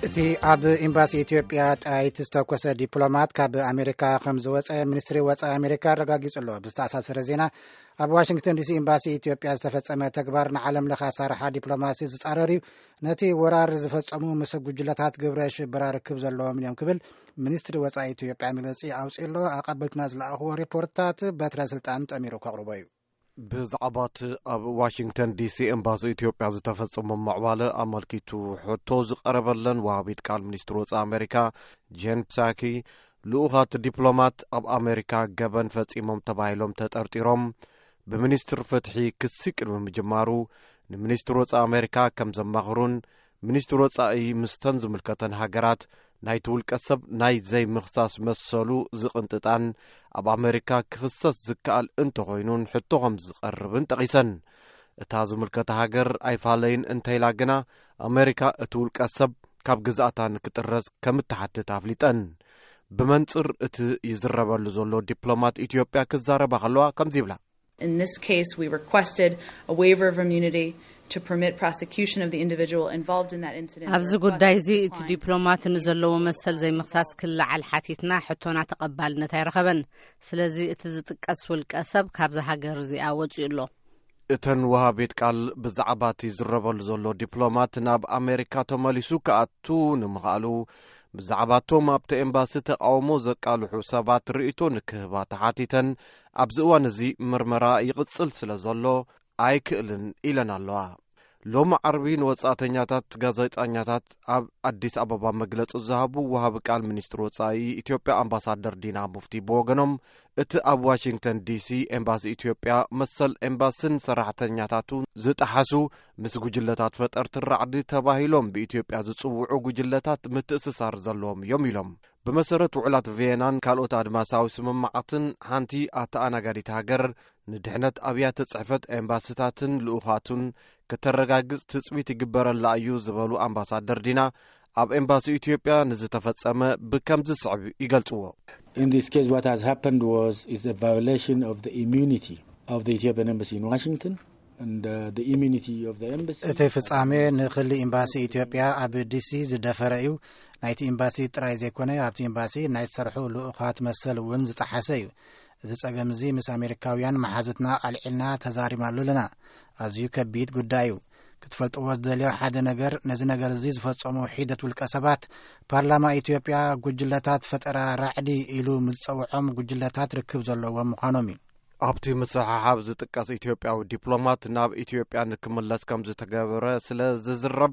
እቲ ኣብ ኤምባሲ ኢትዮጵያ ጥይት ዝተኮሰ ዲፕሎማት ካብ ኣሜሪካ ከም ዝወጸ ሚኒስትሪ ወጻኢ ኣሜሪካ ኣረጋጊጹ ኣሎ። ብዝተኣሳሰረ ዜና፣ ኣብ ዋሽንግተን ዲሲ ኤምባሲ ኢትዮጵያ ዝተፈጸመ ተግባር ንዓለም ለኸ ኣሳርሓ ዲፕሎማሲ ዝጻረር እዩ። ነቲ ወራር ዝፈጸሙ ምስ ጉጅለታት ግብረ ሽበራ ርክብ ዘለዎም እዮም ክብል ሚኒስትሪ ወጻኢ ኢትዮጵያ መግለጺ ኣውጺኡ ኣሎ። ኣቐበልትና ዝለኣኽዎ ሪፖርትታት በትረ ስልጣን ጠሚሩ ከቕርቦ እዩ። ብዛዕባ እቲ ኣብ ዋሽንግተን ዲሲ ኤምባሲ ኢትዮጵያ ዝተፈጸመ ምዕባለ ኣመልኪቱ ሕቶ ዝቐረበለን ወሃቢት ቃል ሚኒስትሪ ወጻኢ ኣሜሪካ ጄን ሳኪ፣ ልኡኻት ዲፕሎማት ኣብ ኣሜሪካ ገበን ፈጺሞም ተባሂሎም ተጠርጢሮም ብሚኒስትር ፍትሒ ክሲ ቅድሚ ምጅማሩ፣ ንሚኒስትር ወጻኢ ኣሜሪካ ከም ዘማኽሩን፣ ሚኒስትር ወጻኢ ምስተን ዝምልከተን ሃገራት ናይቲ ውልቀ ሰብ ናይ ዘይምኽሳስ መሰሉ ዝቕንጥጣን፣ ኣብ ኣሜሪካ ክኽሰስ ዝከኣል እንተኾይኑን ሕቶ ከም ዝቐርብን ጠቒሰን። እታ ዝምልከታ ሃገር ኣይፋለይን እንተኢላ ግና፣ ኣሜሪካ እቲ ውልቀ ሰብ ካብ ግዛኣታ ንክጥረዝ ከም እትሓትት ኣፍሊጠን። ብመንጽር እቲ ይዝረበሉ ዘሎ ዲፕሎማት ኢትዮጵያ ክዛረባ ከለዋ ከምዚ ይብላ። In this case, we requested a waiver of immunity to permit prosecution of the individual involved in that incident. ኣብዚ ጉዳይ እዚ እቲ ዲፕሎማት ንዘለዎ መሰል ዘይምኽሳስ ክለዓል ሓቲትና፣ ሕቶና ተቐባልነት ኣይረኸበን። ስለዚ እቲ ዝጥቀስ ውልቀ ሰብ ካብዚ ሃገር እዚኣ ወጺኡ ኣሎ። እተን ወሃቢት ቃል ብዛዕባ እቲ ዝረበሉ ዘሎ ዲፕሎማት ናብ ኣሜሪካ ተመሊሱ ክኣቱ ንምኽኣሉ፣ ብዛዕባ እቶም ኣብቲ ኤምባሲ ተቃውሞ ዘቃልሑ ሰባት ርእይቶ ንክህባ ተሓቲተን፣ ኣብዚ እዋን እዚ ምርመራ ይቕጽል ስለ ዘሎ ኣይክእልን ኢለን ኣለዋ። ሎሚ ዓርቢ ንወጻእተኛታት ጋዜጠኛታት ኣብ ኣዲስ ኣበባ መግለጺ ዝሃቡ ወሃቢ ቃል ሚኒስትሪ ወጻኢ ኢትዮጵያ ኣምባሳደር ዲና ሙፍቲ ብወገኖም፣ እቲ ኣብ ዋሽንግተን ዲሲ ኤምባሲ ኢትዮጵያ መሰል ኤምባስን ሰራሕተኛታቱ ዝጠሓሱ፣ ምስ ጉጅለታት ፈጠርቲ ራዕዲ ተባሂሎም ብኢትዮጵያ ዝጽውዑ ጉጅለታት ምትእስሳር ዘለዎም እዮም ኢሎም። ብመሰረት ውዕላት ቪየናን ካልኦት ኣድማሳዊ ስምምዓትን፣ ሓንቲ ኣተኣናጋዲት ሃገር ንድሕነት ኣብያተ ጽሕፈት ኤምባስታትን ልኡኻቱን ከተረጋግጽ ትጽቢት ይግበረላ እዩ ዝበሉ ኣምባሳደር ዲና፣ ኣብ ኤምባሲ ኢትዮጵያ ንዝተፈጸመ ብከምዚ ስዕብ ይገልጽዎ። In this case, what has happened was, is a violation of the immunity of the Ethiopian embassy in Washington and, uh, the immunity of the embassy. እቲ ፍጻሜ ንክሊ ኤምባሲ ኢትዮጵያ ኣብ ዲሲ ዝደፈረ እዩ። ናይቲ ኤምባሲ ጥራይ ዘይኮነ፣ ኣብቲ ኤምባሲ ናይ ዝሰርሑ ልኡኻት መሰል እውን ዝጠሓሰ እዩ። እዚ ጸገም እዚ ምስ ኣሜሪካውያን መሓዙትና ኣልዒልና ተዛሪብናሉ ኣለና። ኣዝዩ ከቢድ ጉዳይ እዩ። ክትፈልጥዎ ዝደልዮ ሓደ ነገር፣ ነዚ ነገር እዚ ዝፈጸሙ ሒደት ውልቀ ሰባት፣ ፓርላማ ኢትዮጵያ ጉጅለታት ፈጠራ ራዕዲ ኢሉ ምስ ዝጸውዖም ጉጅለታት ርክብ ዘለዎም ምዃኖም እዩ። ኣብቲ ምስሕሓብ ዝጥቀስ ኢትዮጵያዊ ዲፕሎማት ናብ ኢትዮጵያ ንክምለስ ከም ዝተገበረ ስለ ዝዝረብ፣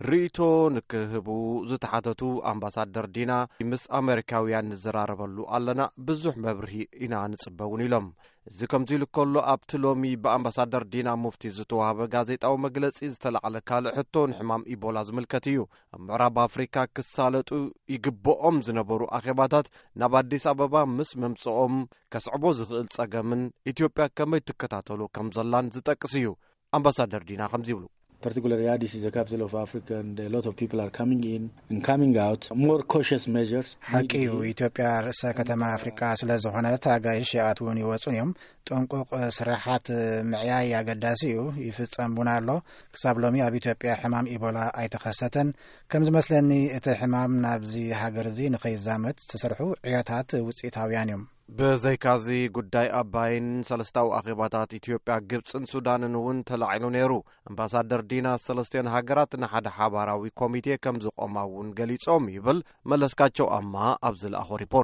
ርእይቶ ንክህቡ ዝተሓተቱ ኣምባሳደር ዲና፣ ምስ ኣሜሪካውያን ንዘራረበሉ ኣለና፣ ብዙሕ መብርሂ ኢና ንጽበ እውን ኢሎም። እዚ ከምዚ ኢሉ ከሎ፣ ኣብቲ ሎሚ ብኣምባሳደር ዲና ሙፍቲ ዝተዋህበ ጋዜጣዊ መግለጺ ዝተላዕለ ካልእ ሕቶ ንሕማም ኢቦላ ዝምልከት እዩ። ኣብ ምዕራብ ኣፍሪካ ክሳለጡ ይግብኦም ዝነበሩ ኣኼባታት ናብ ኣዲስ ኣበባ ምስ ምምጽኦም ከስዕቦ ዝኽእል ጸገምን ኢትዮጵያ ከመይ ትከታተሎ ከም ዘላን ዝጠቅስ እዩ። ኣምባሳደር ዲና ከምዚ ይብሉ። Particularly, Addis is a capital of Africa, and a lot of people are coming in and coming out. More cautious measures ሓቂ እዩ። ኢትዮጵያ ርእሰ ከተማ ኣፍሪቃ ስለ ዝኾነት፣ ኣጋይሽ ይኣትዉን ይወጹን እዮም። ጥንቁቕ ስራሓት ምዕያይ ኣገዳሲ እዩ። ይፍጸም እውን ኣሎ። ክሳብ ሎሚ ኣብ ኢትዮጵያ ሕማም ኢቦላ ኣይተኸሰተን። ከም ዝመስለኒ፣ እቲ ሕማም ናብዚ ሃገር እዚ ንኸይዛመት ዝተሰርሑ ዕዮታት ውጽኢታውያን እዮም። ብዘይካዚ፣ ጉዳይ ኣባይን ሰለስታዊ ኣኼባታት ኢትዮጵያ፣ ግብጽን ሱዳንን እውን ተላዒሉ ነይሩ። ኣምባሳደር ዲና፣ ሰለስቲኦን ሃገራት ንሓደ ሓባራዊ ኮሚቴ ከም ዝቖማ እውን ገሊጾም ይብል መለስካቸው ኣማ ኣብ ዝለኣኾ ሪፖርት።